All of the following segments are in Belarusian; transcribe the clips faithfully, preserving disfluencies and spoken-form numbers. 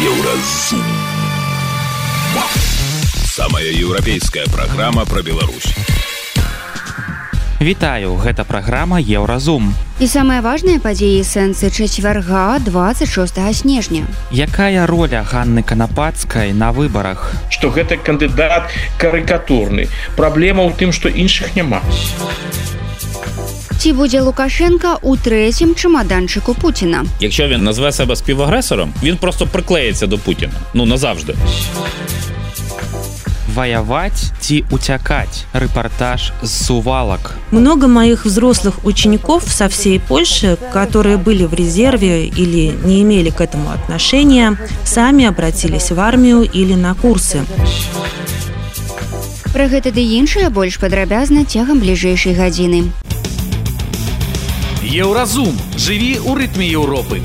Еўразум. Самая еўрапейская праграма пра Беларусь. Вітаю, гэта праграма Еўразум. І самыя важныя падзеі сэнсы чацвярга двадцать шостага снежня. Якая роля Ганны Канапацкай на выбарах? Што гэта кандыдат карыкатурны. Праблема ў тым, што іншых няма. Ці будзе Лукашенка у третім чемоданчику Путіна? Якщо він назве себе співагресором, він просто приклеїться до Путіна. Ну, назавжди. Воевать ти утякать. Репортаж с Сувалок. Много моих взрослых учеников со всей Польши, которые были в резерве или не имели к этому отношения, сами обратились в армию или на курсы. Пра гэта ды іншае больш падрабязна цягам бліжэйшай гадзіны. Еўразум. Жыві ў рытме Еўропы.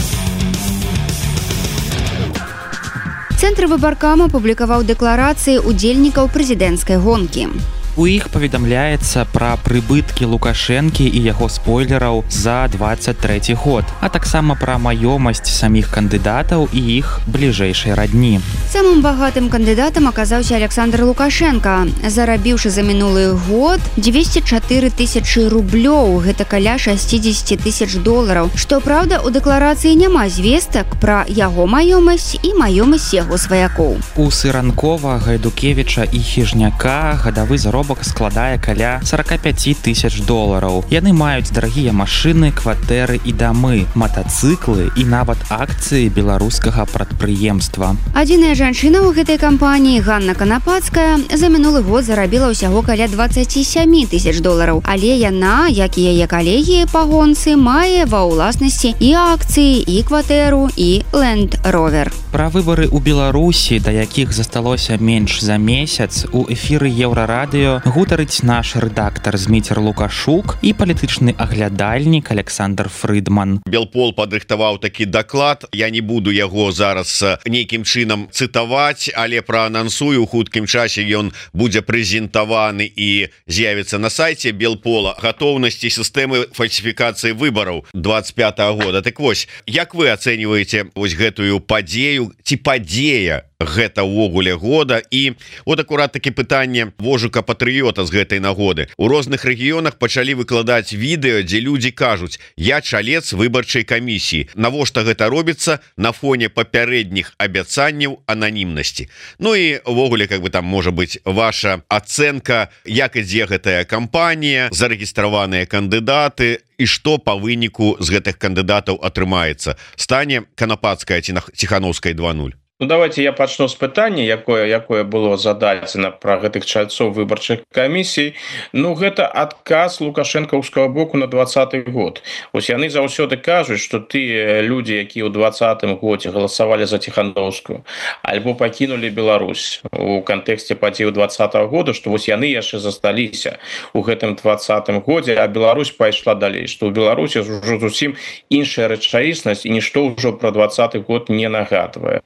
Цэнтр выбаркама публікаваў дэкларацыі удзельнікаў прэзідэнцкай гонкі. У іх паведамляецца пра прыбыткі Лукашэнкі і яго спойлераў за двадцать трэці год, а таксама пра маёмасць саміх кандыдатаў і іх бліжэйшай радні. Самым багатым кандыдатам аказаўся Александр Лукашенко, зарабіўшы за мінулы год двести чатыры тысячы рублёў, гэта каля шестьдесят тысяч долараў. Што праўда, у дэкларацыі няма звестак пра яго маёмасць і маёмасць яго сваякоў. У Сыранкова, Гайдукевіча і Хіжняка гадавы заробак складае каля сорок пять тысяч долараў. Яны маюць дарагія машыны, кватэры і дамы, матацыклы і нават акцыі беларускага прадпрыемства. Адзіная жанчына ў гэтай кампаніі, Ганна Канапацкая, за мінулы год зарабіла ўсяго каля двадцать семь тысяч долараў, але яна, як і яе калегі па гонцы, мае ва ўласнасці і акцыі, і кватэру, і Land Rover. Пра выбары ў Беларусі, да якіх засталося менш за месяц, у эфіры Еўрарадыё гутарыць наш рэдактар Зміцер Лукашук і палітычны аглядальнік Александр Фрыдман. Белпол падрыхтаваў такі даклад. Я не буду яго зараз нейкім чынам цытаваць, але праанансую, у хуткім часе ён будзе прэзентаваны і з'явіцца на сайце Белпола. Гатоўнасці сістэмы фальсіфікацыі выбараў двадцать пятага года. Так вось, як вы ацэньваеце вось гэтую падзею, ці падзея гэта ўвогуле года? І от акурат такі пытанне вожука патрыёта з гэтай нагоды. У розных рэгіёнах пачалі выкладаць відэо, дзе людзі кажуць: я чалец выбарчай камісіі. Навошта гэта робіцца на фоне папярэдніх абяцанняў ананімнасці? Ну і ўвогуле, как бы там можа быць ваша ацэнка, як ідзе гэтая кампанія, зарэгістраваныя кандыдаты, і што па выніку з гэтых кандыдатаў атрымаецца? Стане Канапацкая ці Ціхановскай два нуль? Ну, давайте я пачну з пытання, якое, якое было зададзена пра гэтых чальцоў выбарчых камісій. Ну, гэта адказ лукашэнкаўскага боку на двадцаты год. Вось яны заўсёды кажуць, што тыя людзі, якія ў двадцатым годзе галасавалі за Ціхановскую, альбо пакінулі Беларусь у кантэксце падзеяў двадцатага года, што вось яны яшчэ засталіся у гэтым двадцатым годзе, а Беларусь пайшла далей, што ў Беларусі ўжо зусім іншая рэчаіснасць і нішто ўжо пра двадцаты год не нагадвае.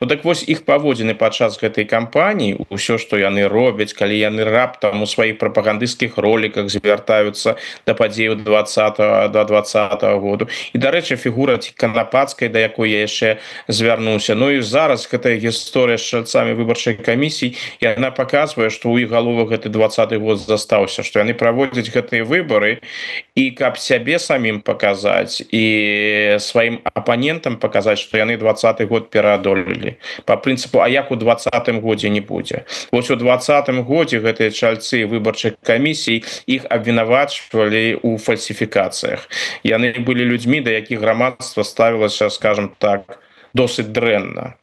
Ну так вось іх паводзіны падчас гэтай кампаніі, ўсё, што яны робяць, калі яны раптам у сваіх прапагандысцкіх роліках звяртаюцца да падзеяў двадцатага да двадцатага году. І, дарэчы, фігура Канапацкай, да якой я яшчэ звярнуўся. Ну і зараз гэтая гісторыя з чальцамі выбарчай камісій, яна паказвае, што ў іх галовах гэты двадцаты год застаўся, што яны праводзяць гэтыя выбары і каб сябе самім паказаць і сваім апанентам паказаць, што яны двадцаты год пераадолелі. По прынцыпу, а як у двадцатым годзе не будзе. Вось у двадцатым годзе гэтыя чальцы выбарчых камісій, іх абвінавачвалі ў фальсіфікацыях. Яны былі людзьмі, да якіх грамадства ставілася, скажем так, досыць дрэнна.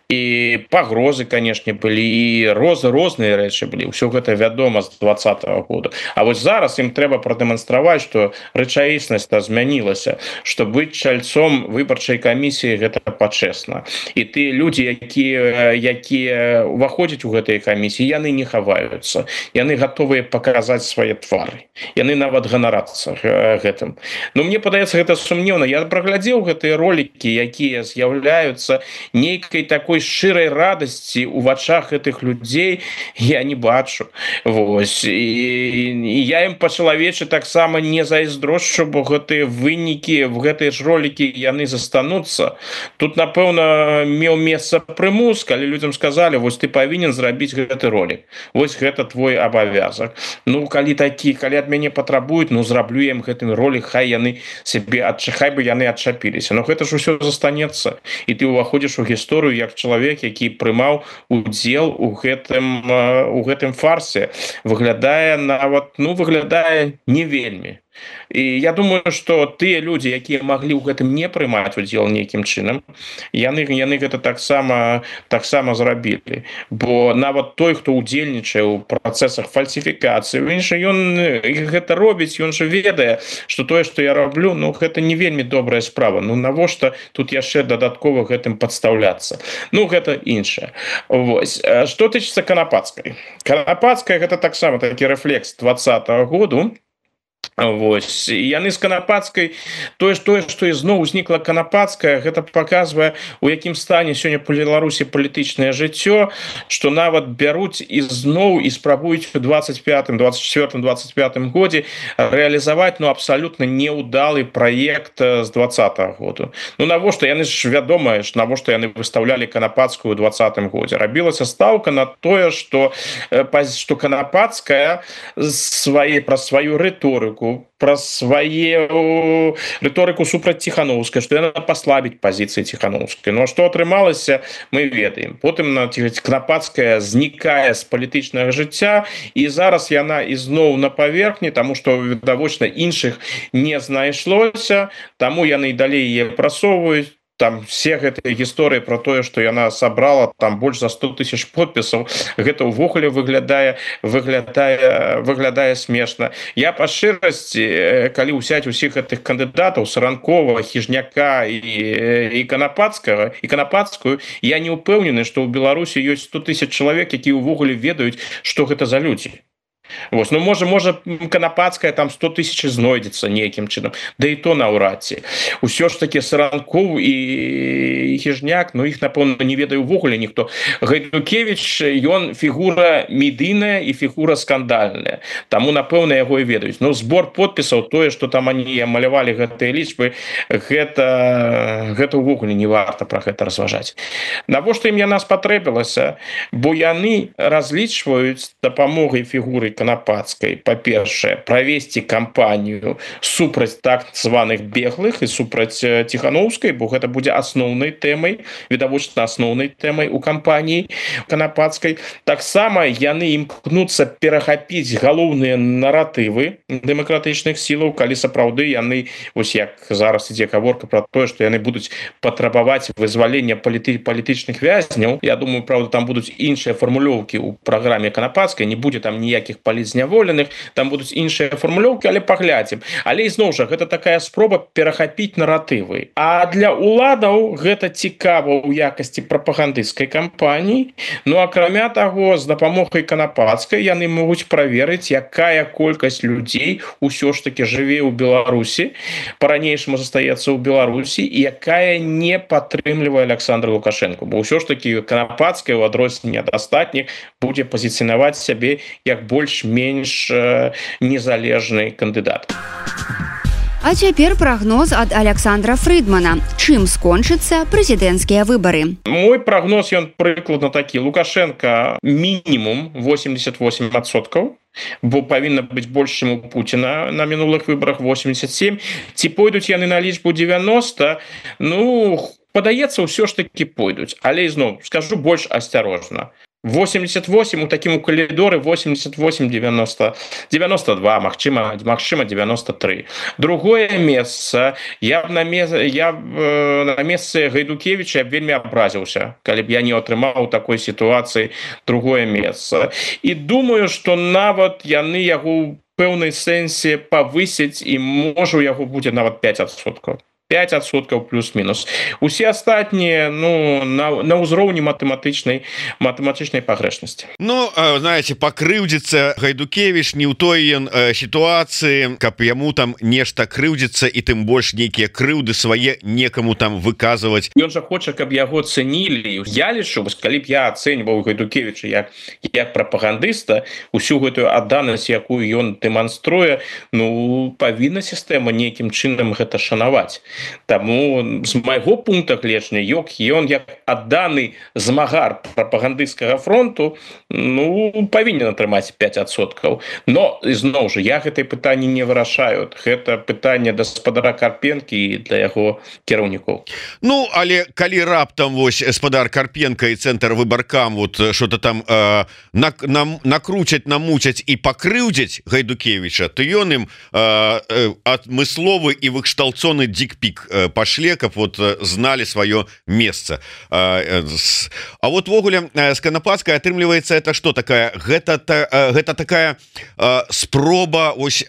І пагрозы, канешне, былі, і роз, розныя рэчы былі. Усё гэта вядома з двадцатага года. А вось зараз ім трэба прадэманстраваць, што рэчаіснасць-то змянілася, што быць чальцом выбарчай камісіі гэта пачэсна. І тыя людзі, якія, якія ўваходзяць у гэтыя камісіі, яны не хаваюцца. Яны гатовыя паказаць свае твары. Яны нават ганарацца гэтым. Ну, мне падаецца, гэта сумнеўна. Я праглядзеў гэтыя ролікі, якія з'яўляюцца нейкай такой шчырай радасці у вачах гэтых людзей я не бачу. Вось і, і я ім па-чалавечы таксама не зайздрошчу, бо гэтыя вынікі в гэтыя ж ролікі яны застануцца. Тут напэўна меў месца прымус, калі людзям сказалі, вось ты павінен зрабіць гэты ролик, вось гэта твой абавязак. Ну калі такі, калі ад мяне патрабуюць, ну зраблю ім гэтым ролик, хай яны себе адчахай бы яны адчапіліся. Но гэта ж усё застанецца, і ты ўваходзіш у гісторыю як чалавек, які прымаў удзел у гэтым у гэтым фарсе. Выглядае нават, ну выглядае не вельмі. І я думаю, што тыя людзі, якія маглі ў гэтым не прымаць удзел нейкім чынам, яны яны гэта таксама таксама зрабілі. Бо нават той, хто удзельнічае ў працэсах фальсіфікацыі, ён гэта робіць, ён жа ведае, што тое, што я раблю, ну гэта не вельмі добрая справа. Ну навошта тут яшчэ дадаткова гэтым падстаўляцца? Ну гэта іншае. Вось. Што тычыцца Канапацкай. Канапацкая гэта таксама такі рэфлекс двадцатага году. Вось. І яны з Канапацкай, тое, тое, што ізноў узнікла Канапацкая, гэта паказвае, у якім стане сёння па Беларусі палітычнае жыццё, што нават бяруць ізноў і спрабуюць у двадцать пятым, двадцать четвёртым, двадцать пятым годзе рэалізаваць ну абсалютна неўдалы праект з двадцатага году. Ну навошта яны ж вядома, навошта яны выстаўлялі Канапацкую ў двадцатым годзе. Рабілася стаўка на тое, што што Канапацкая свае пра сваю рыторыку, пра сваю рыторыку супраць Ціхановскай, што яна паслабіць пазіцыі Ціхановскай. Ну а што атрымалася, мы ведаем. Потым Канапацкая знікае з палітычнага жыцця, і зараз яна ізноў на паверхні, таму што відавочна іншых не знайшлося, таму яны і далей яе прасоўваюць. Там все гэтыя гісторыі про тое, што яна сабрала там больш за сто тысяч подпісаў, гэта ўвогуле выглядае выглядае выглядае смешна. Я па шчырасці, калі ўсяць усіх гэтых кандыдатаў Саранкова, Хіжняка і, і Канапацкага і Канапацкую, я не ўпэўнены, што ў Беларусі ёсць сто тысяч чалавек, якія ўвогуле ведаюць, што гэта за людзі. Вось, ну можа можа Канапацкая там сто тысяч знойдзецца нейкім чынам, да і то наўрад ці. Усё ж такі Саранкоў і Хіжняк, ну іх напэўна не ведае ўвогуле ніхто. Гайдукевіч, ён фігура медыйная і фігура скандальная, таму напэўна яго і ведаюць. Ну збор подпісаў, тое, што там они малявалі гэтыя лічбы, гэта гэта ўвогуле не варта пра гэта разважаць. Навошта ім яна спатрэбілася? Бо яны разлічваюць дапамогай фігуры Канапацкай, па-першае, правесці кампанію супраць так званых беглых і супраць Ціхановскай, бо гэта будзе асноўнай тэмай, відавочна асноўнай тэмай у кампаніі Канапацкай. Таксама яны імкнуцца перахапіць галоўныя наратывы дэмакратычных сілаў, калі сапраўды яны, вось як зараз ідзе гаворка пра тое, што яны будуць патрабаваць вызвалення паліты, палітычных вязняў. Я думаю, правда, там будуць іншыя фармулёўкі ў праграме Канапацкай, не будзе там ніякіх палітзняволеных, там будуць іншыя фармулёўкі, але паглядзім. Але ізноў жа, гэта такая спроба перахапіць наратывы. А для уладаў гэта цікава ў якасці прапагандысцкай кампаніі. Ну, акрамя таго, з дапамогай Канапацкай яны могуць праверыць, якая колькасць людзей ўсё ж такі жыве ў Беларусі, па-ранейшаму застаецца ў Беларусі, і якая не падтрымлівае Александра Лукашенко. Бо ўсё ж такі Канапацкая, у адрозненне ад астатніх, будзе пазіцыянаваць сябе як больш-менш незалежны кандыдат. А цяпер прагноз ад Александра Фрыдмана. Чым скончыцца прэзідэнцкія выбары? Мой прагноз, ён прыкладна такі. Лукашенко мінімум восемьдесят восемь адсоткаў, бо павінна быць больш, чым у Пуціна на мінулых выбарах восемьдесят семь. Ці пойдуць яны на лічбу девяносто? Ну, падаецца, ўсё ж такі пойдуць. Але ізноў, скажу больш асцярожна. восемьдесят восемь у такім у калідоры восемьдесят восемь девяносто девяносто два, магчыма магчыма девяносто три. Другое месца, я б на месцы я б на месцы Гайдукевіча вельмі абразіўся, калі б я не атрымаў у такой сітуацыі другое месца. І думаю, што нават яны яго ў пэўнай сэнсе павысяць, і можа у яго будзе нават пять адсоткаў. пятьсот плюс-мінус. Усе астатнія ну на, на ўзроўні матэматычнай матэматычнай пагрэшнасці. Ну знаете, пакрыўдзіцца Гайдукевич не ў той ён сітуацыі, каб яму там нешта крыўдзіцца і тым больш нейкія крыўды свае некаму там выказваць. Ён жа хоча, каб яго цэнілі. Я лічу, калі б я ацэньваў Гайдукевича як як прапагандыста, усю гэтую адданасць, якую ён дэманструе, ну павінна сістэма нейкім чынам гэта шанаваць. Таму з майго пункта гледжання ёк ён як адданы змагар прапагандысцкага фронту ну павінен атрымаць пять адсоткаў. Но ізноў жа я гэтае пытанне не вырашаю. Гэта пытанне да спадара Карпенкі і для яго кіраўнікоў. Ну але калі раптам вось спадар Карпенка і цэнтр выбаркам вот что-то там э, на, на, накруцяць, намуцяць і пакрыўдзяць Гайдукевича, то ён ім э, э, адмысловы і выкшталцоны дикпік пашле, каб вот знали свое месца. А вот ввогуле Сканападская атрымліваецца это что такая гэта гэта такая спроба ось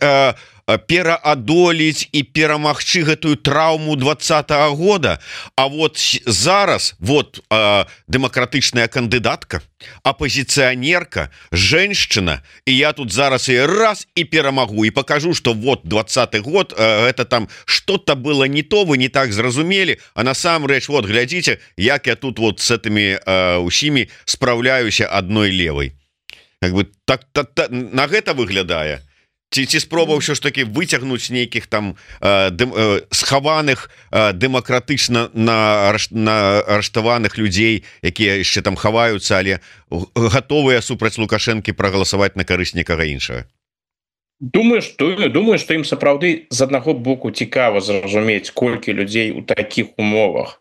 пераадолець і перамагчы гэтую траўму двадцатого года. А вот зараз вот э, дэмакратычная кандыдатка, апозіцыянерка, женщина, і я тут зараз і раз і перамагу і покажу, что вот двадцаты год э, это там что-то было не то, вы не так зразумелі, а насамрэч вот глядзіце, як я тут вот с этими э, усімі спраўляюся адной левой. Как бы так, так, так на гэта выглядае. Ці, ці спроба ўсё ж таки выцягнуць нейкіх там э, дэм, э, схаваных э, дэмакратычна на, на арыштаваных людзей, якія яшчэ там хаваюцца, але гатовыя супраць Лукашэнкі прагаласаваць на карысць некага іншага. Думаю, што думаю, што ім сапраўды з аднаго боку цікава зразумець, колькі людзей у такіх умовах.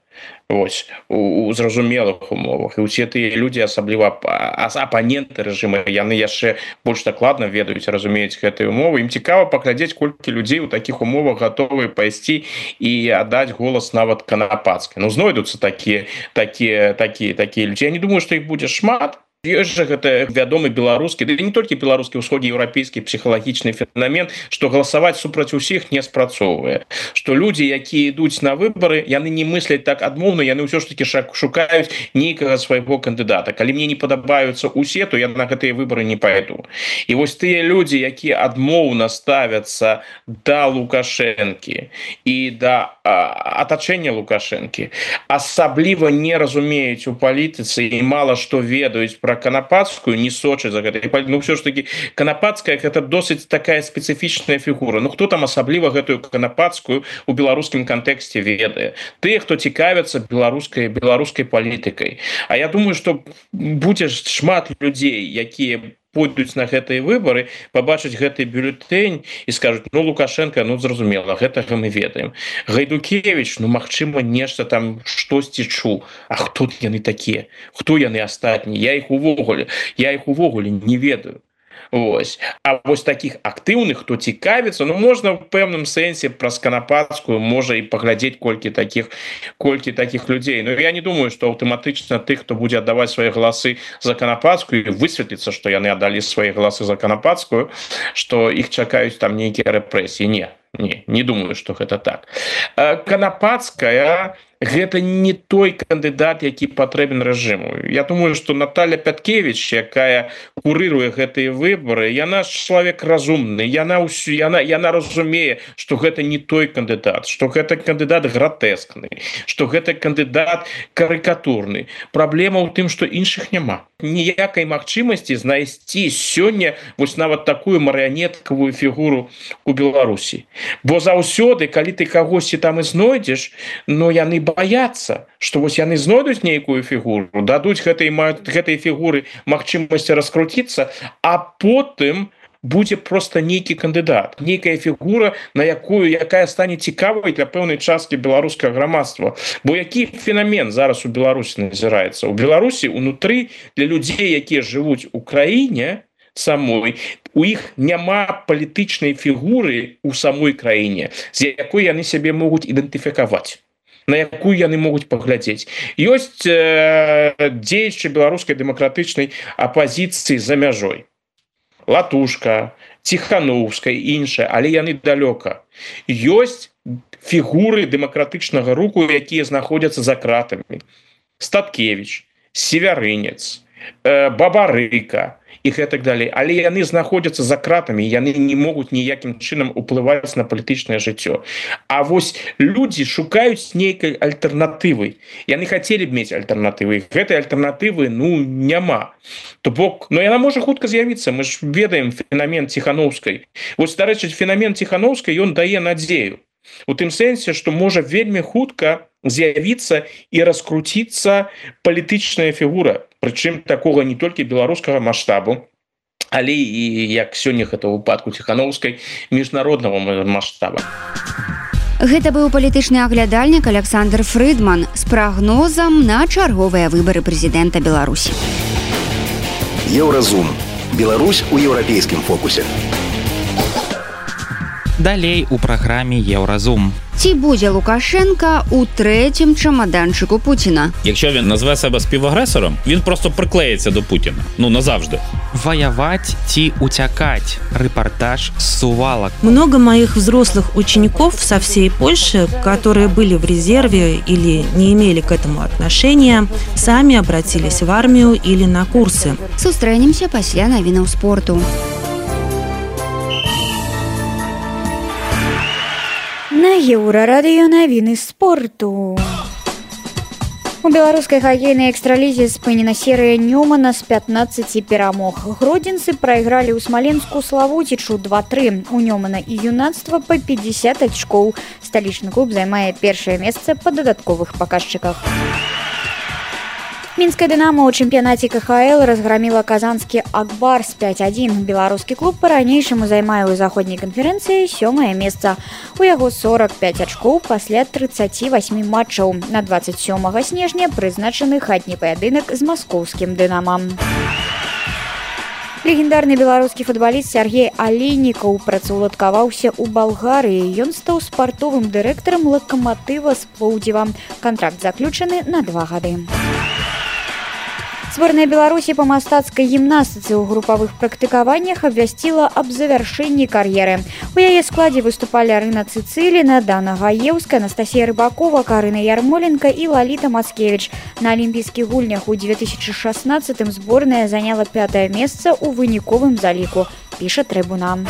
Вось у, у зразумелых умовах, і усе тыя людзі, асабліва апаненты рэжыма, яны яшчэ больш дакладна ведаюць, разумеюць гэтыя умовы. Ім цікава паглядзець, колькі людзей у такіх умовах гатовыя пайсці і аддаць голас нават Канападскай. Ну знойдуцца такія такія такія такія людзі. Я не думаю, што іх будзе шмат. Ёсць жа гэта вядомы беларускі, ды не толькі беларускі, усходнееўрапейскі псіхалагічны феномен, што галасаваць супраць усіх не спрацоўвае. Што людзі, якія ідуць на выбары, яны не мысляць так адмоўна, яны ўсё ж такі шукаюць нейкага свайго кандыдата. Калі мне не падабаюцца усе, то я на гэтыя выбары не пайду. І вось тыя людзі, якія адмоўна ставяцца да Лукашэнкі і да атачэння Лукашэнкі, асабліва не разумеюць у палітыцы і мала што ведаюць пра Канападскую, не сочаць за гэта. Ну ўсё ж таки Канападская гэта досыць такая спецыфічная фігура. Ну хто там асабліва гэтую Канападскую у беларускім кантэксце ведае? Тыя, хто цікавяцца беларускай беларускай палітыкай. А я думаю, што будзе шмат людзей, якія пойдуць на гэтыя выбары, пабачыць гэты бюлетень і скажуць: ну Лукашенко, ну зразумела, гэтага мы ведаем. Гайдукевич, ну магчыма нешта там штосьці чуў. А хто яны такія? Хто яны астатнія? Я іх увогуле, я іх увогуле не ведаю. Вось. А вось таких актыўных, хто цікавіцца, ну можна в пэўным сэнсе праз Канападскую можа і паглядзець колькі таких колькі таких людзей. Но я не думаю, што аўтаматычна тых, хто будзе аддаваць свае галасы за Канападскую, высветліцца, што яны аддалі свае галасы за Канападскую, што іх чакаюць там нейкія рэпрэсіі. Не, не, не думаю, што гэта так. Канападская гэта не той кандыдат, які патрэбен рэжыму. Я думаю, што Наталья Пяткевич, якая курыруе гэтыя выбары, яна ж чалавек разумны, яна ўсё, яна, яна разумее, што гэта не той кандыдат, што гэта кандыдат гратэскны, што гэта кандыдат карыкатурны. Праблема ў тым, што іншых няма. Ніякай магчымасці знайсці сёння вось нават такую марыянеткавую фігуру у Беларусі. Бо заўсёды, калі ты кагосьці там і знойдзеш, но яны баяцца, што вось яны знойдуць нейкую фігуру, дадуць гэтай, гэтай фігуры магчымасці раскруціцца, а потым будзе просто нейкі кандыдат, нейкая фігура, на якую якая стане цікавай для пэўнай часткі беларускага грамадства. Бо які феномен зараз у Беларусі назіраецца? У Беларусі унутры для людзей, якія жывуць у краіне самой, у іх няма палітычнай фігуры у самой краіне, з якой яны сябе могуць ідэнтыфікаваць, на якую яны могуць паглядзець. Ёсць э, дзеячы беларускай дэмакратычнай апазіцыі за мяжой. Латушка, Ціхановская і іншая, але яны далёка. Ёсць фігуры дэмакратычнага руху, якія знаходзяцца за кратамі. Статкевич, Севярынец, Бабарыка і гэтак далей, але яны знаходзяцца за кратамі, яны не могуць ніякім чынам уплываць на палітычнае жыццё. А вось людзі шукаюць нейкай альтэрнатывы. Яны хацелі б мець альтэрнатывы. Гэтай альтэрнатывы ну няма. То бок, но яна можа хутка з'явіцца. Мы ж ведаем фенамен Ціханаўскай. Вось, дарэчы, фенамен Ціханаўскай ён дае надзею. У тым сэнсе, што можа вельмі хутка з'явіцца і раскруціцца палітычная фігура, прычым такога не толькі беларускага маштабу, але і, як сёння гэта ў выпадку Ціханаўскай, міжнароднага маштаба. Гэта быў палітычны аглядальнік Александр Фрыдман з прагнозам на чарговыя выбары прэзідэнта Беларусі. Еўразум. Беларусь у еўрапейскім фокусе. Далей у праграме Еўразум. Ці будзе Лукашенка у трэцім чамаданчыку Пуціна? Якщо він назве себе співагресором, він просто приклеїться до Путіна. Ну, назавжди. Воевать ці утякать. Репортаж с Сувалок. Много моих взрослых учеников со всей Польши, которые были в резерве или не имели к этому отношения, сами обратились в армию или на курсы. Сустрэнемся пасля навінаў спорту. На Еўрарадыё навіны спорту. У беларускай хакейнай экстралізе спынена серыя Нёмана з пятнаццаці перамог. Гродзенцы прайгралі ў Смаленску Славуцічу два тры. У Нёмана і юнацтва па пятьдесят ачкоў. Сталічны клуб займае першае месца па дадатковых паказчыках. Мінская «Дынамо» ў чэмпіянаце ка ха эл разграміла казанскі «Акбар» з пять адзін. Беларускі клуб па-ранейшаму займае ў заходняй канферэнцыі сёмае месца. У яго сорок пять ачкоў пасля тридцати восьми матчаў. На двадцать сёмага снежня прызначаны хатні паядынак з маскоўскім «Дынамам». Легендарны беларускі футбаліст Сергей Алейнікаў працаўладкаваўся ў Балгарыі. Ён стаў спартовым дырэктарам «Лакаматыва» з Плоўдзіва. Кантракт заключаны на два гады. Сборная Беларусі по мастацкай гімнастыцы ў групавых практыкаваннях абвясціла аб завяршэнні кар'еры. У яе складзе выступалі Арына Цыцыліна, Дана Гаеўская, Анастасія Рыбакова, Карына Ярмоленка і Лаліта Мацкевіч. На алімпійскіх гульнях у две тысячи шестнадцатым зборная заняла пятае месца ў выніковым заліку, піша Трыбуна.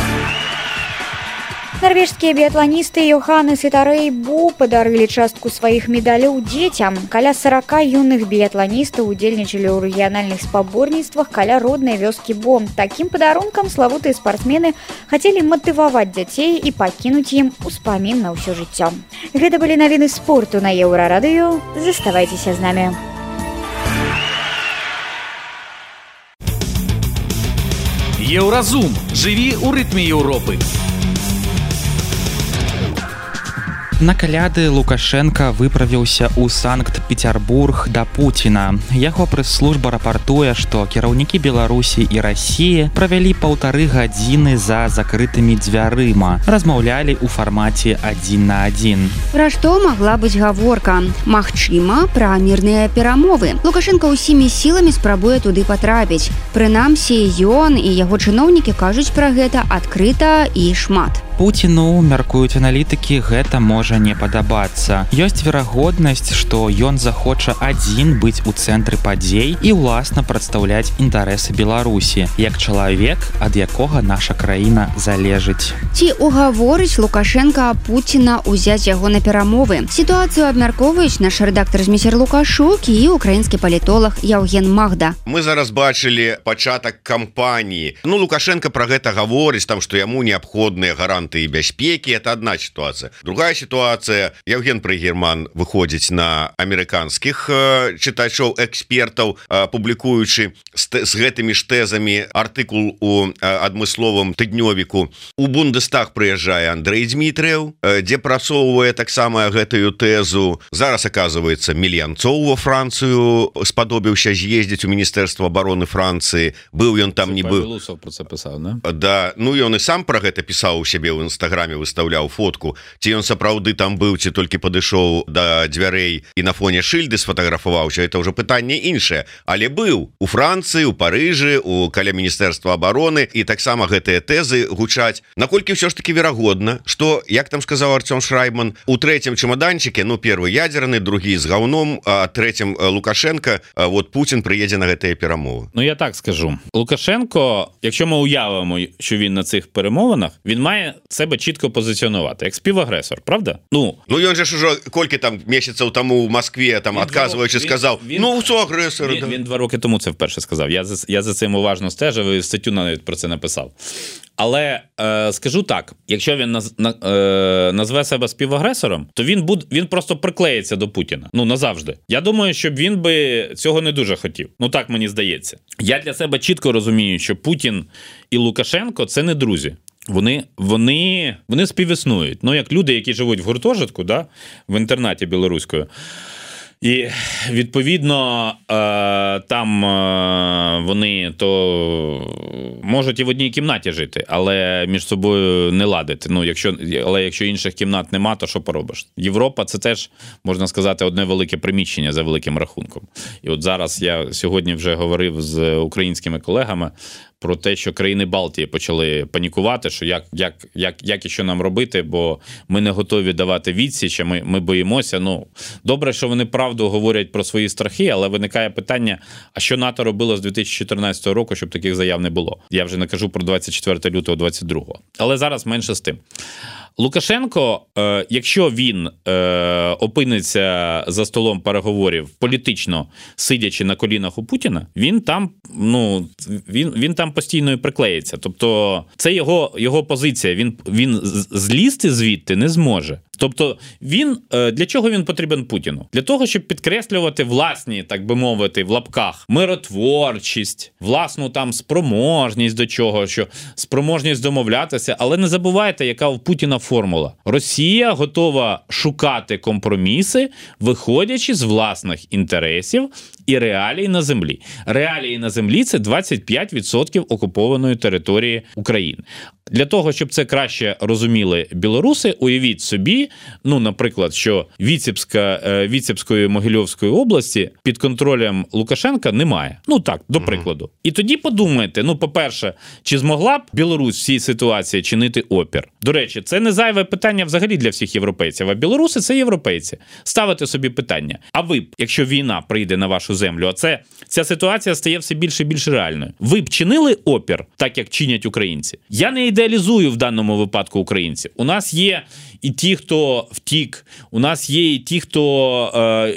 Нарвежскія біятланісты Йоханнес і Тарей Бу падарылі частку сваіх медаляў дзецям. Каля сорока юных біятланістаў удзельнічалі ў рэгіянальных спаборніцтвах каля роднай вёскі Бо. Такім падарункам славутыя спартсмены хацелі матываваць дзяцей і пакінуць ім успамін на ўсё жыццё. Гэта былі навіны спорту на Еўрарадыё. Заставайцеся з намі. Еўразум. Жыві ў рытме Еўропы. На каляды Лукашенка выправіўся ў Санкт-Петербург да Пуціна. Яго прэс-служба рапартуе, што кіраўнікі Беларусі і Расіі правялі паўтары гадзіны за закрытымі дзвярыма. Размаўлялі ў фармаце адзін на адзін. Пра што магла быць гаворка? Магчыма, пра мірныя перамовы. Лукашенка ўсімі сіламі спрабуе туды патрапіць. Прынамсі, ён і яго чыноўнікі кажуць пра гэта адкрыта і шмат. Пуціну, мяркуюць аналітыкі, гэта можа не падабацца. Ёсць верагоднасць, што ён захоча адзін быць у цэнтры падзей і ўласна прадстаўляць інтарэсы Беларусі, як чалавек, ад якога наша краіна залежыць. Ці угаворыць Лукашенка Пуціна ўзяць яго на перамовы? Сітуацыю абмяркоўваюць наш рэдактар Зміцер Лукашук і украінскі палітолог Яўген Магда. Мы зараз бачылі пачатак кампаніі. Ну, Лукашенко пра гэта гаворыць, там, што яму неабходныя гаранты і бяспекі, это одна ситуация. Другая ситуация, Евген Прыгерман выходзіць на амерыканскіх э, чытачоў, экспертаў, э, публікуючы з, з гэтымі ж тэзамі артыкул у э, адмысловым тыднёвіку. У Бундестаг прыязджае Андрэй Дзмітрыеў, э, дзе працоўвае таксама гэтую тэзу. Зараз, оказывается, Мельянцоў во Францыю спадобіўся з'ездзіць у Міністэрства обороны Францыі. Быў ён там, не быў. Про це писав, не? Да, ну ён і сам пра гэта пісаў у сябе ў інстаграме, выставляў фотку, ці ён сапраўды сапраўды там быў ці толькі падышоў да дзвярэй і на фоне шыльды сфотаграфаваўся, это ўжо пытанне іншае, але быў у Францыі, у Парыжы, у каля міністэрства абароны, і таксама гэтыя тэзы гучаць. Наколькі ўсё ж таки верагодна, што, як там сказаў Артём Шрайбман, у трэцім чемоданчыке, ну першы ядерны, другі з гаўном, а трэцім Лукашенко, вот Путін приїде на ці перемови. Ну я так скажу. Лукашенко, якщо ми уявимо, що він на цих перемовинах, він має себе чітко позиціонувати, як співагресор, правда? Ну, ну він же ж уже кілька там місяців тому в Москві, там, відказуючи, сказав, він, ну, це агресор. Він, да. він два роки тому це вперше сказав. Я за, я за цим уважно стежив і статтю навіть про це написав. Але е, скажу так, якщо він наз, на, е, назве себе співагресором, то він, буд, він просто приклеїться до Путіна. Ну, назавжди. Я думаю, що він би цього не дуже хотів. Ну, так мені здається. Я для себе чітко розумію, що Путін і Лукашенко – це не друзі. Вони, вони, вони співіснують. Ну, як люди, які живуть в гуртожитку, да, в інтернаті білоруською. І, відповідно, там вони то можуть і в одній кімнаті жити, але між собою не ладити. Ну, якщо, але якщо інших кімнат нема, то що поробиш? Європа – це теж, можна сказати, одне велике приміщення за великим рахунком. І от зараз я сьогодні вже говорив з українськими колегами про те, що країни Балтії почали панікувати, що як, як, як, як і що нам робити, бо ми не готові давати відсіч, ми, ми боїмося. Ну, добре, що вони правду говорять про свої страхи, але виникає питання, а що НАТО робило з дві тисячі чотирнадцятого року, щоб таких заяв не було? Я вже не кажу про двадцять четвертого лютого двадцять другого. Але зараз менше з тим. Лукашенко, е, якщо він е, опиниться за столом переговорів політично, сидячи на колінах у Путіна, він там, ну, він, він там постійно і приклеїться. Тобто це його, його позиція, він, він злізти звідти не зможе. Тобто він, для чого він потрібен Путіну? Для того, щоб підкреслювати власні, так би мовити, в лапках, миротворчість, власну там спроможність до чого, що спроможність домовлятися, але не забувайте, яка у Путіна формула. Росія готова шукати компроміси, виходячи з власних інтересів і реалій на землі. Реалії на землі – це двадцять п'ять відсотків окупованої території України. Для того, щоб це краще розуміли білоруси, уявіть собі, ну, наприклад, що Віцебська, Віцебської Могильовської області під контролем Лукашенка немає. Ну так, до прикладу. І тоді подумайте, ну, по-перше, чи змогла б Білорусь в цій ситуації чинити опір? До речі, це не зайве питання взагалі для всіх європейців, а білоруси – це європейці. Ставите собі питання, а ви б, якщо війна прийде на вашу землю, а це, ця ситуація стає все більше і більше реальною, ви б чинили опір, так як чинять українці? Я не ідеалізую в даному випадку українців. У нас є і ті, хто втік, у нас є і ті, хто е,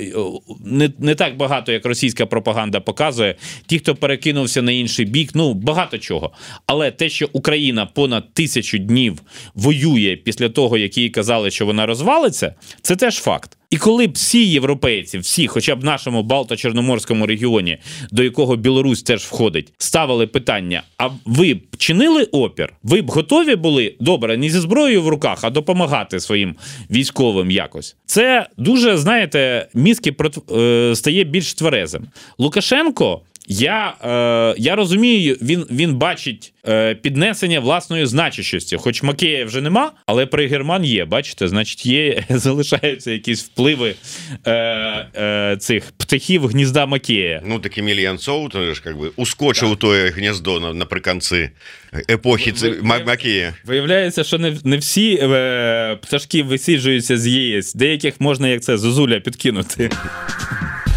не, не так багато, як російська пропаганда показує, ті, хто перекинувся на інший бік, ну, багато чого. Але те, що Україна понад тисячу днів воює після того, як їй казали, що вона розвалиться, це теж факт. І коли б всі європейці, всі, хоча б в нашому Балто-Чорноморському регіоні, до якого Білорусь теж входить, ставили питання, а ви б чинили опір? Ви б готові були, добре, не зі зброєю в руках, а допомагати своїм військовим якось? Це дуже, знаєте, мізки стає більш тверезим. Лукашенко, Я, е, я розумію, він, він бачить е, піднесення власної значущості. Хоч Макея вже нема, але при Герман є, бачите, значить є, залишаються якісь впливи е, е, цих птахів гнізда Макея. Ну, так Еміль Янцов, то ж, як би, ускочив так. Тоє гніздо на, наприкінці епохи ви, ви, Макея. Виявляється, що не, не всі е, пташки висіджуються з ЄС, деяких можна, як це, зозуля підкинути.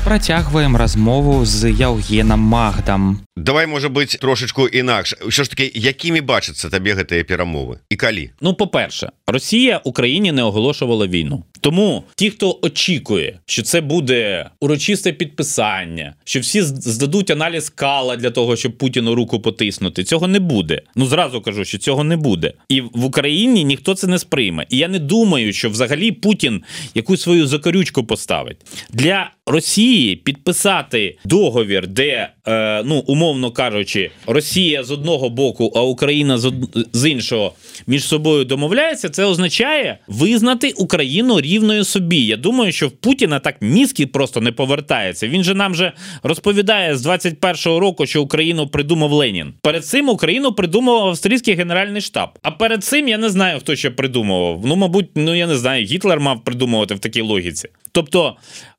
Працягваем размову з Яўгенам Магдам. Давай, можа быць, трошечку інакш. Що ж таки, якімі бачаться табе гэтыя перамовы? І калі? Ну, по-перше, Росія Україні не оголошувала війну. Тому ті, хто очікує, що це буде урочисте підписання, що всі здадуть аналіз Кала для того, щоб Путіну руку потиснути, цього не буде. Ну, зразу кажу, що цього не буде. І в Україні ніхто це не сприйме. І я не думаю, що взагалі Путін якусь свою закорючку поставить. Для Росії підписати договір, де, е, ну, умовно кажучи, Росія з одного боку, а Україна з, од... з іншого між собою домовляється, це означає визнати Україну рівною собі. Я думаю, що в Путіна так мізки просто не повертаються. Він же нам же розповідає з двадцять першого року, що Україну придумав Ленін. Перед цим Україну придумав австрійський Генеральний штаб. А перед цим я не знаю, хто ще придумував. Ну, мабуть, ну я не знаю, Гітлер мав придумувати в такій логіці. Тобто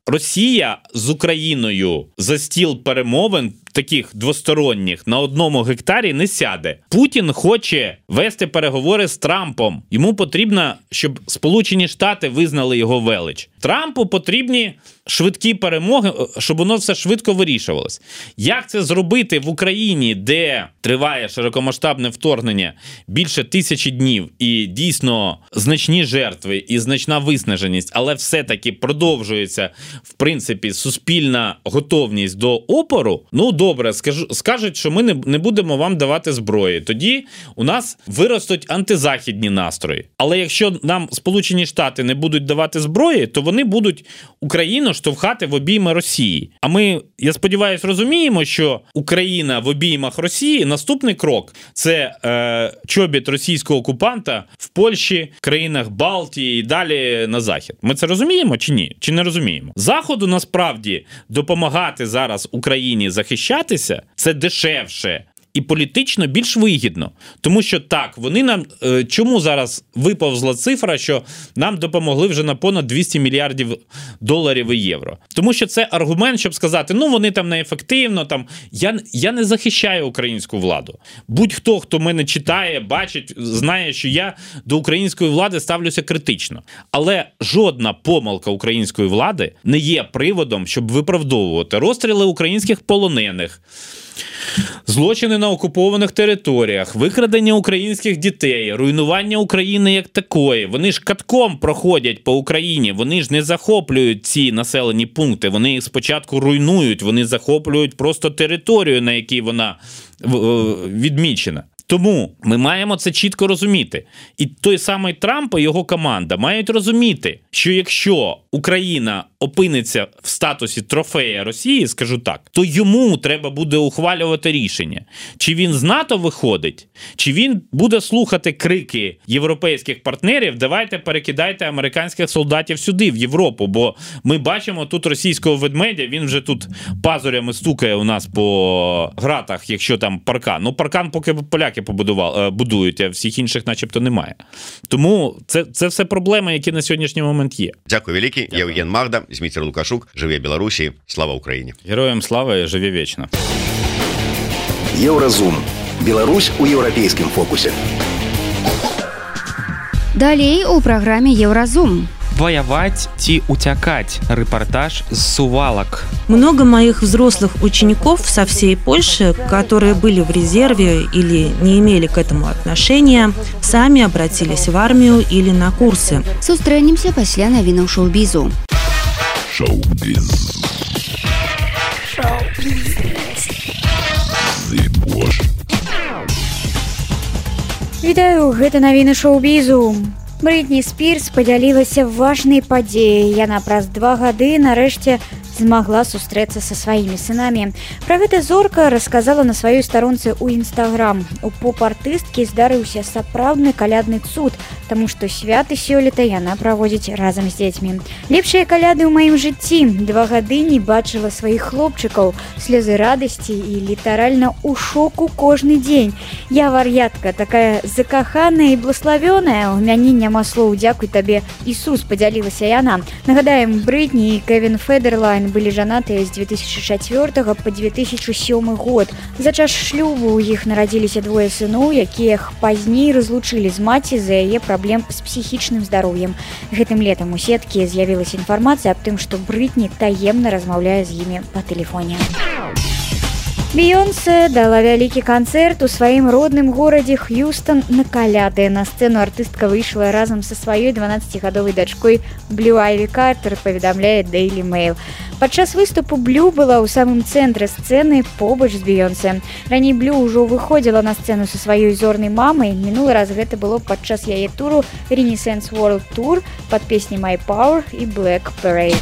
Росія з Україною за стіл перемовин таких двосторонніх на одному гектарі не сяде. Путін хоче вести переговори з Трампом. Йому потрібно, щоб Сполучені Штати визнали його велич. Трампу потрібні швидкі перемоги, щоб воно все швидко вирішувалось. Як це зробити в Україні, де триває широкомасштабне вторгнення більше тисячі днів і дійсно значні жертви і значна виснаженість, але все-таки продовжується, в принципі, суспільна готовність до опору? Ну, добре, скажу, скажуть, що ми не, не будемо вам давати зброї. Тоді у нас виростуть антизахідні настрої. Але якщо нам Сполучені Штати не будуть давати зброї, то вони будуть Україну штовхати в обійми Росії. А ми, я сподіваюся, розуміємо, що Україна в обіймах Росії, наступний крок – це е, чобіт російського окупанта в Польщі, країнах Балтії і далі на Захід. Ми це розуміємо чи ні? Чи не розуміємо? Заходу, насправді, допомагати зараз Україні захищатися – це дешевше і політично більш вигідно. Тому що так, вони нам... Е, чому зараз виповзла цифра, що нам допомогли вже на понад двісті мільярдів доларів і євро? Тому що це аргумент, щоб сказати, ну вони там неефективно, там... Я, я не захищаю українську владу. Будь-хто, хто мене читає, бачить, знає, що я до української влади ставлюся критично. Але жодна помилка української влади не є приводом, щоб виправдовувати розстріли українських полонених, злочини на окупованих територіях, викрадення українських дітей, руйнування України як такої. Вони ж катком проходять по Україні, вони ж не захоплюють ці населені пункти, вони їх спочатку руйнують, вони захоплюють просто територію, на якій вона відмічена. Тому ми маємо це чітко розуміти. І той самий Трамп і його команда мають розуміти, що якщо Україна опиниться в статусі трофея Росії, скажу так, то йому треба буде ухвалювати рішення. Чи він з НАТО виходить, чи він буде слухати крики європейських партнерів, давайте перекидайте американських солдатів сюди, в Європу, бо ми бачимо тут російського ведмедя, він вже тут пазурями стукає у нас по гратах, якщо там паркан. Ну, паркан поки поляки побудували, будують, а всіх інших начебто немає. Тому це, це все проблеми, які на сьогоднішній момент є. Дякую великий. Я Євген Магда, Зміцер Лукашук. Живе Білорусі. Слава Україні. Героям слава і живе вічно. Еўразум. Беларусь у еўрапейскім фокусе. Далей у праграме Еўразум. Воевать ці утякать. Репортаж с Сувалок. Много моих взрослых учеников со всей Польши, которые были в резерве или не имели к этому отношения, сами обратились в армию или на курсы. Сустрэнемся пасля навінаў шоу-бізу. Шоу-біз. Вітаю, гэта навіны шоу-бізу. Бритні Спірс падзялілася важнай падзеяй. Яна праз два гады нарэшце змагла сустрэцца са сваімі сынамі. Пра гэта зорка расказала на сваёй старонцы ў Інстаграм. У поп-артысткі здарыўся сапраўдны калядны цуд, таму што святы сёлета яна праводзіць разам з дзецьмі. Лепшыя каляды ў маім жыцці. Два гады не бачыла сваіх хлопчыкаў, слёзы радасці і літаральна ў шоку кожны дзень. Я вар'ятка, такая закаханая і блаславёная. У мяне няма слоў, дзякуй табе, Ісус, падзялілася яна. Нагадаем, Бритні і Кевін Федерлайн былі жанатыя з две тысячи чацвёртага па две тысячи сёмы год. За час шлюбу ў іх нарадзіліся двое сыноў, якія пазней разлучылі з маці з-за яе праблем з псіхічным здароўем. Гэтым летам у сеткі з'явілася інфармацыя аб тым, што Бритні таемна размаўляе з імі па тэлефоне. Бейонсе дала вялікі канцэрт у сваім родным горадзе Х'юстон на каляды. На сцэну артыстка выйшла разам са сваёй дванаццацігадовай дачкой Блю Айві Картер, паведамляе Daily Mail. Падчас выступу Блю была ў самым цэнтры сцэны побач з Бейонсе. Раней Блю ўжо выходзіла на сцэну са сваёй зорнай мамай. Мінулы раз гэта было падчас яе туру Renaissance World Tour пад песні My Power і Black Parade.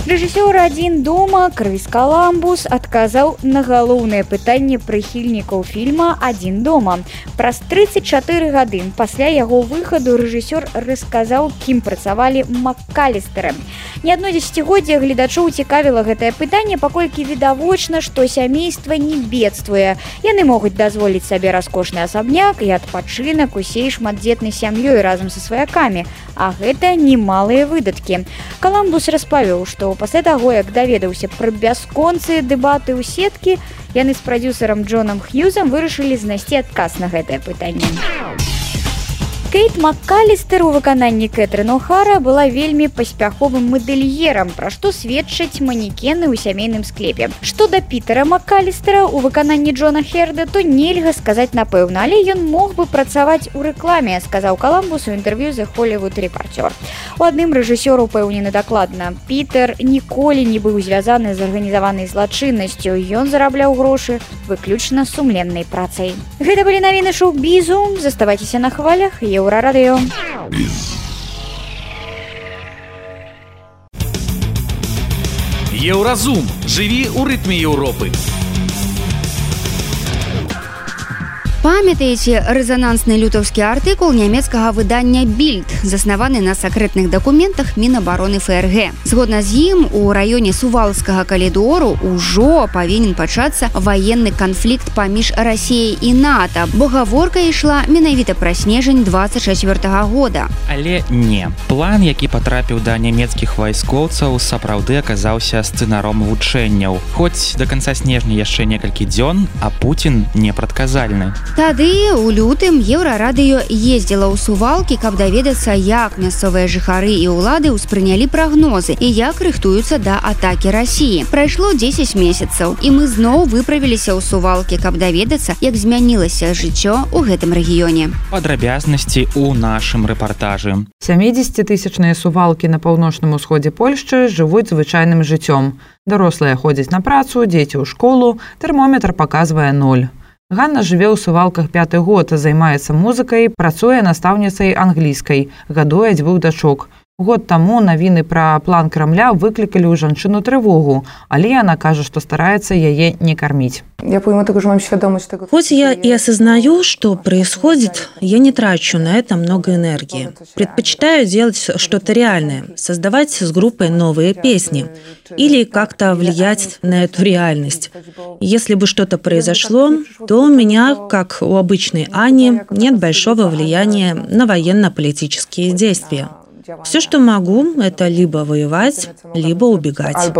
Рэжысёр «Адзін дома» Крыс Коламбус адказаў на галоўнае пытанне прыхільнікаў фільма «Адзін дома». Праз тридцать чатыры гады пасля яго выхаду рэжысёр расказаў, кім працавалі МакКалістэры. Не адно дзесяцігоддзе гледачоў цікавіла гэтае пытанне, паколькі відавочна, што сямейства не бедствуе. Яны могуць дазволіць сабе раскошны асабняк і адпачынак усей шматдзетнай сям'ёй разам са сваякамі, а гэта немалыя выдаткі. Коламбус распавёў, што пасля таго, як даведаўся пра бясконцыя дэбаты ў сеткі, яны з прадзюсарам Джонам Хьюзам вырашылі знайсці адказ на гэтае пытанне. Кейт МакКалістэр у выкананні Кэтрын О'Хара была вельмі паспяховым мадэльерам, пра што сведчаць манекены ў сямейным склепе. Што да Пітера МакКалістера у выкананні Джона Херда, то нельга сказаць напэўна, але ён мог бы працаваць у рэкламе, сказаў Коламбус у інтэрв'ю The Hollywood Reporter. У адным рэжысёр упэўнены дакладна. Пітер ніколі не быў звязаны з арганізаванай злачыннасцю. Ён зарабляў грошы выключна сумленнай працай. Гэта былі навіны шоу-бізу. Заставайцеся на хвалях. Еўрарадыё. Еўразум. Жыві ў рытме Еўропы. Памятаеце рэзанансны лютаўскі артыкул нямецкага выдання «Більд», заснаваны на сакрэтных дакументах Мінабароны ФРГ. Згодна з ім, у раёне Сувалскага калідору ўжо павінен пачацца ваенны канфлікт паміж Расіяй і НАТО, бо гаворка ішла менавіта пра снежань двадцать чацвёртага года. Але не. План, які патрапіў да нямецкіх вайскоўцаў, сапраўды аказаўся сцэнаром вучэнняў. Хоць да канца снежня яшчэ некалькі дзён, а Пуцін непрадказальны. Тады у лютым Еўрарадыё ездзіла ў Сувалкі, каб даведацца, як мясцовыя жыхары і ўлады ўспрынялі прагнозы і як рыхтуюцца да атакі Расіі. Прайшло дзесяць месяцаў, і мы зноў выправіліся ў Сувалкі, каб даведацца, як змянілася жыццё ў гэтым рэгіёне. Падрабязнасці ў нашым рэпартажы. сямідзесяцітысячныя Сувалкі на паўночным усходзе Польшчы жывуць звычайным жыццём. Дарослыя ходзяць на працу, дзеці ў школу, тэрмометр паказвае ноль. Ганна жыве ў Сувалках пяты год, займаецца музыкай, працуе настаўніцай англійскай, гадуе дзвюх дачок. Год таму навіны пра план Крамля выклікалі ў жанчыну трывогу, але яна кажа, што стараецца яе не карміць. Хоть я и осознаю, что происходит, я не трачу на это много энергии. Предпочитаю делать что-то реальное, создавать с группой новые песни или как-то влиять на эту реальность. Если бы что-то произошло, то у меня, как у обычной Ани, нет большого влияния на военно-политические действия. Все, что могу, это либо воевать, либо убегать.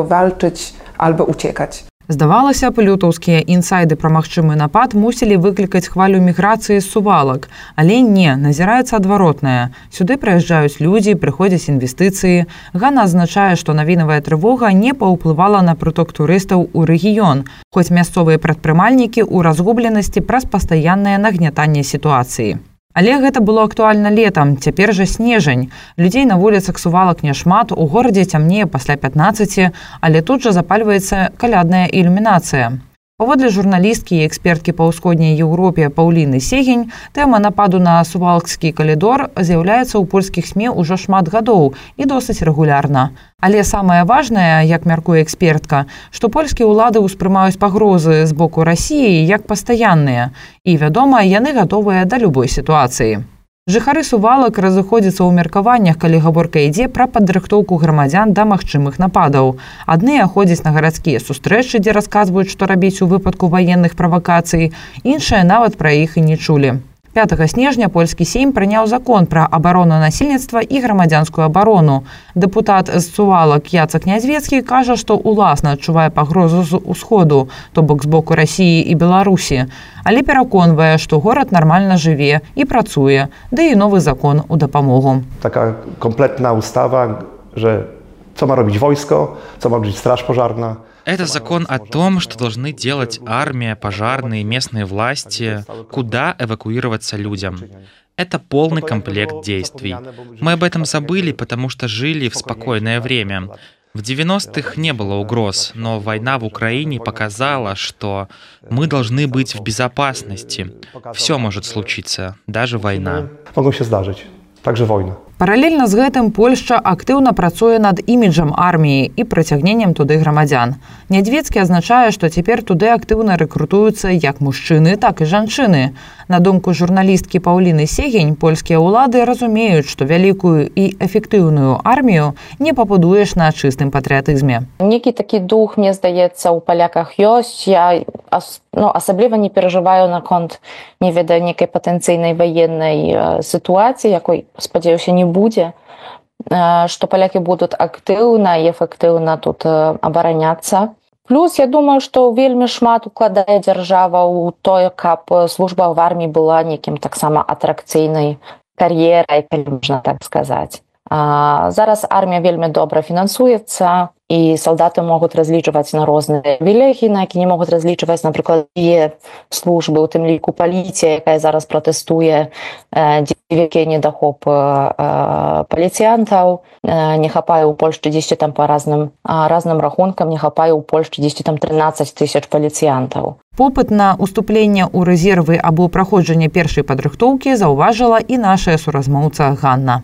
Здавалася б, лютаўскія інсайды пра магчымы напад мусілі выклікаць хвалю міграцыі з Сувалак. Але не, назіраецца адваротнае. Сюды прыязджаюць людзі, прыходзяць інвестыцыі. Ганна азначае, што навінавая трывога не паўплывала на прыток турыстаў у рэгіён, хоць мясцовыя прадпрымальнікі ў разгубленасці праз пастаяннае нагнятанне сітуацыі. Але гэта было актуальна летам, цяпер жа снежань. Людзей на вуліцах Сувалак няшмат, у горадзе цямнее пасля пятнаццаці, але тут жа запальваецца калядная ілюмінацыя. Паводле журналісткі і эксперткі па ўсходняй Еўропе Паўліны Сегень, тэма нападу на Сувалкскі калідор з'яўляецца ў польскіх СМІ ўжо шмат гадоў і досыць рэгулярна. Але самае важнае, як мяркуе экспертка, што польскія ўлады ўспрымаюць пагрозы з боку Расіі як пастаянныя, і, вядома, яны гатовыя да любой сітуацыі. Жыхары Сувалак разыходзяцца ў меркаваннях, калі гаворка ідзе пра падрыхтоўку грамадзян да магчымых нападаў. Адныя ходзяць на гарадскія сустрэчы, дзе расказваюць, што рабіць у выпадку ваенных правакацый, іншыя нават пра іх і не чулі. пятага снежня польскі сейм прыняў закон пра абарону насельніцтва і грамадзянскую абарону. Дэпутат з Сувалак Яцак Нязвецкі кажа, што уласна адчувае пагрозу з усходу, то бок з боку Расіі і Беларусі, але пераконвае, што горад нармальна жыве і працуе, да і новы закон у дапамогу. Така комплетна устава, że co ma robić wojsko, co ma robić straż pożarna. Это закон о том, что должны делать армия, пожарные, местные власти, куда эвакуироваться людям. Это полный комплект действий. Мы об этом забыли, потому что жили в спокойное время. В девяностых не было угроз, но война в Украине показала, что мы должны быть в безопасности. Все может случиться, даже война. Могą się zdarzyć, także wojna. Паралельна з гэтым Польшча актыўна працуе над іміджам арміі і прыцягненнем туды грамадзян. Нядведскі азначае, што цяпер туды актыўна рэкрутуюцца як мужчыны, так і жанчыны. На думку журналісткі Паўліны Сегень, польскія ўлады разумеюць, што вялікую і эфектыўную армію не пабудуеш на чыстым патрыятызме. Некі такі дух, мне здаецца, у паляках ёсць. Я ну, асабліва не перажываю наконт, не ведаю, некай патэнцыйнай ваеннай сітуацыі, якой, спадзяюся, не будзе, што палякі будуць актыўна і эфектыўна тут абараняцца. Плюс, я думаю, што вельмі шмат укладае дзяржава ў тое, каб служба в арміі была некім таксама атракцыйнай кар'ерай, калі можна так сказаць. Зараз армія вельмі добра фінансуецца, і салдаты могуць разлічваць на розныя вілегі, на які не могуць разлічваць, напрыклад, і службы, у тым ліку паліцыя, якая зараз пратэстуе, вялікі недахоп паліцыянтаў, не хапае ў Польшчы дзесьці там па разным, разным рахункам, не хапае ў Польшчы дзесьці там трынаццаць тысяч паліцыянтаў. Попыт на уступленне ў рэзервы або праходжанне першай падрыхтоўкі заўважыла і наша суразмоўца Ганна.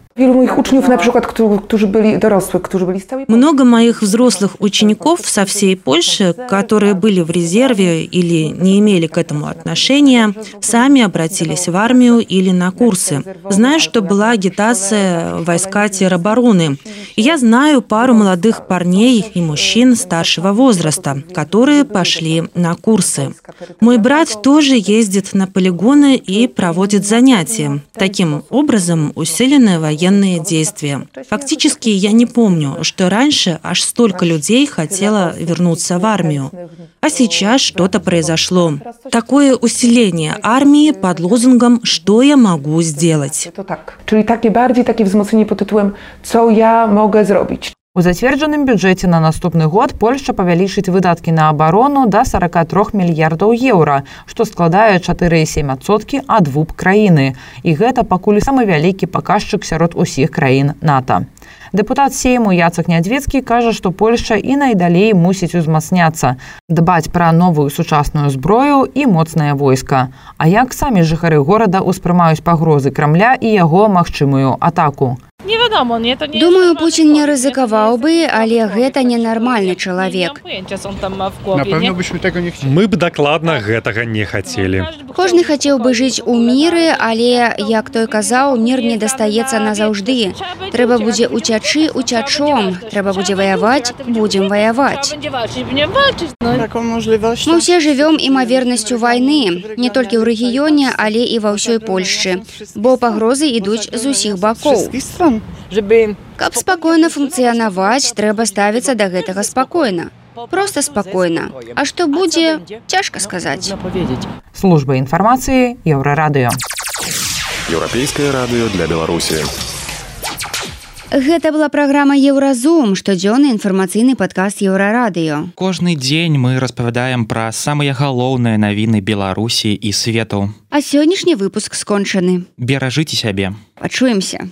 Много моих взрослых учеников со всей Польши, которые были в резерве или не имели к этому отношения, сами обратились в армию или на курсы. Знаю, что была агитация войска теробороны. И я знаю пару молодых парней и мужчин старшего возраста, которые пошли на курсы. Мой брат тоже ездит на полигоны и проводит занятия. Таким образом, усиленные военные действия. Фактически, я не помню, что раньше аж столько людей хотело вернуться в армию. А сейчас что-то произошло. Такое усиление армии под лозунгом «Что я могу сделать?». Czyli takie bardziej takie wzmocnienie pod tytułem «Co ja mogę zrobić?». У зацверджаным бюджэце на наступны год Польшча павялічыць выдаткі на абарону да сорок три мільярдаў еўра, што складае чатыры і сем адсоткі ад вэ і пэ краіны. І гэта пакуль самы вялікі паказчык сярод усіх краін НАТО. Дэпутат Сейму Яцек Нядведскі кажа, што Польшча і найдалей мусіць узмацняцца, дбаць пра новую сучасную зброю і моцнае войска. А як самі жыхары горада ўспрымаюць пагрозы Крамля і яго магчымую атаку? Думаю, Путин не рызыкаваў бы, але гэта ненармальны чалавек. Мы б дакладна гэтага не хацелі. Кожны хацеў бы жыць у міры, але, як той казаў, мір не дастаецца назаўжды. Трэба будзе уцячы уцячом, трэба будзе ваяваць, будзем ваяваць. Мы ўсе жывём імавернасцю вайны, не толькі ў рэгіёне, але і ва ўсёй Польшчы, бо пагрозы ідуць з усіх бакоў. Каб спакойна функцыянаваць, трэба ставіцца да гэтага спакойна. Проста спакойна. А што будзе, цяжка сказаць. Служба інфармацыі Еўрарадыё. Еўрапейскае радыё для Беларусі. Гэта была праграма Еўразум, штодзённы інфармацыйны падкаст Еўрарадыё. Кожны дзень мы распавядаем пра самыя галоўныя навіны Беларусі і свету. А сённяшні выпуск скончаны. Беражыце сябе. Пачуемся.